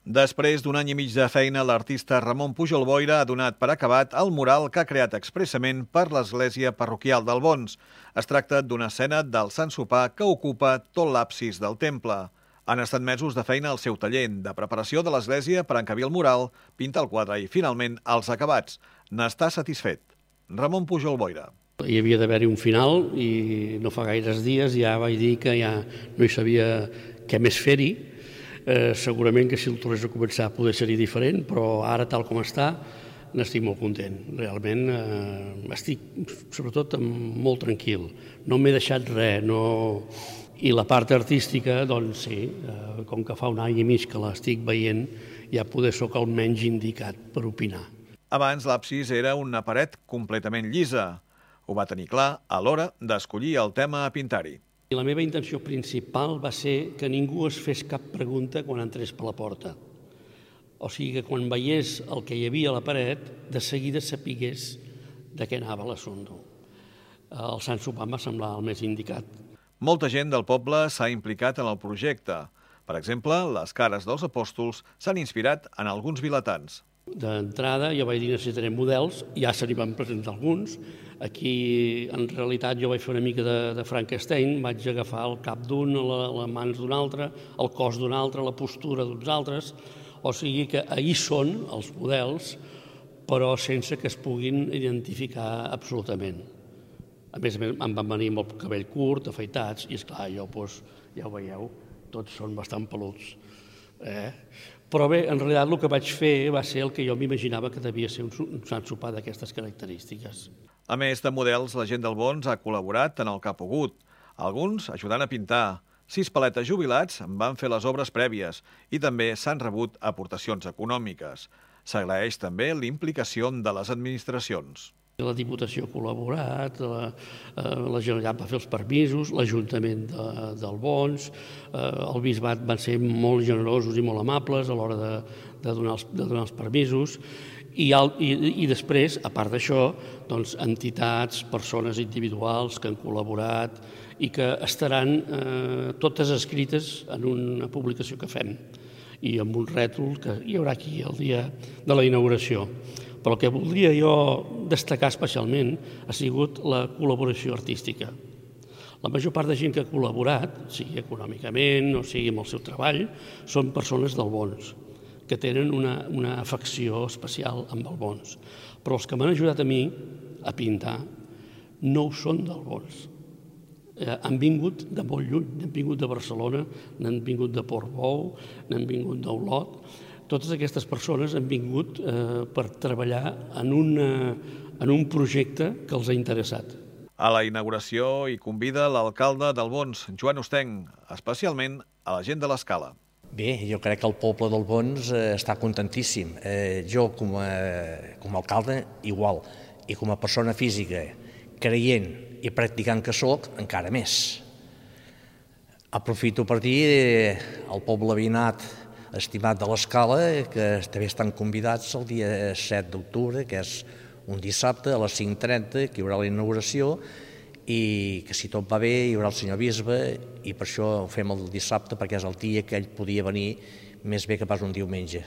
Després d'un any i mig de feina, l'artista Ramon Pujol Boira ha donat per acabat el mural que ha creat expressament per l'església parroquial d'Albons. Es tracta d'una escena del Sant Sopar que ocupa tot l'absis del temple. Han estat mesos de feina al seu taller, de preparació de l'església per encabir el mural, pintar el quadre i, finalment, els acabats. N'està satisfet. Ramon Pujol Boira. Hi havia d'haver-hi un final i no fa gaires dies ja vaig dir que ja no hi sabia què més fer-hi. Segurament que si el tornés a començar poder ser-hi diferent, però ara tal com està n'estic molt content. Realment estic sobretot molt tranquil. No m'he deixat res. I la part artística, doncs sí, com que fa un any i mig que l'estic veient, ja poder soc el menys indicat per opinar. Abans l'absis era una paret completament llisa. Ho va tenir clar a l'hora d'escollir el tema a pintar-hi. La meva intenció principal va ser que ningú es fes cap pregunta quan entrés per la porta. O sigui que quan veiés el que hi havia a la paret, de seguida sapigués de què anava l'assumpte. El Sant Sopar em va semblar el més indicat. Molta gent del poble s'ha implicat en el projecte. Per exemple, les cares dels apòstols s'han inspirat en alguns vilatans. D'entrada jo vaig dir necessitarem models, ja se n'hi van presentar alguns. Aquí, en realitat, jo vaig fer una mica de Frankenstein, vaig agafar el cap d'un, les mans d'un altre, el cos d'un altre, la postura d'uns altres, o sigui que ahir són els models, però sense que es puguin identificar absolutament. A més, em van venir amb el cabell curt, afaitats, i esclar, jo, ja ho veieu, tots són bastant peluts. Però bé, en realitat el que vaig fer va ser el que jo m'imaginava que devia ser un Sant Sopar d'aquestes característiques. A més de models, la gent d'Albons ha col·laborat en el que ha pogut. Alguns ajudant a pintar. 6 paletes jubilats van fer les obres prèvies i també s'han rebut aportacions econòmiques. S'agraeix també l'implicació de les administracions. La Diputació ha col·laborat, la Generalitat va fer els permisos, l'Ajuntament d'Albons, el Bisbat van ser molt generosos i molt amables a l'hora de donar els permisos i després, a part d'això, entitats, persones individuals que han col·laborat i que estaran totes escrites en una publicació que fem i amb un rètol que hi haurà aquí el dia de la inauguració. Però el que voldria jo destacar especialment ha sigut la col·laboració artística. La major part de gent que ha col·laborat, sigui econòmicament o sigui amb el seu treball, són persones d'Albons, que tenen una afecció especial amb Albons. Però els que m'han ajudat a mi a pintar no ho són d'Albons. Han vingut de molt lluny, n'han vingut de Barcelona, n'han vingut de Portbou, n'han vingut d'Olot. Totes aquestes persones han vingut per treballar en un projecte que els ha interessat. A la inauguració hi convida l'alcalde d'Albons, Joan Ostenc, especialment a la gent de l'Escala. Bé, jo crec que el poble d'Albons està contentíssim. Jo, com a alcalde, igual. I com a persona física, creient i practicant que soc, encara més. Aprofito per dir al poble veïnat estimat de l'Escala, que també estan convidats el dia 7 d'octubre, que és un dissabte a les 5:30, que hi haurà la inauguració, i que si tot va bé hi haurà el senyor bisbe, i per això ho fem el dissabte, perquè és el dia que ell podia venir més bé que pas un diumenge.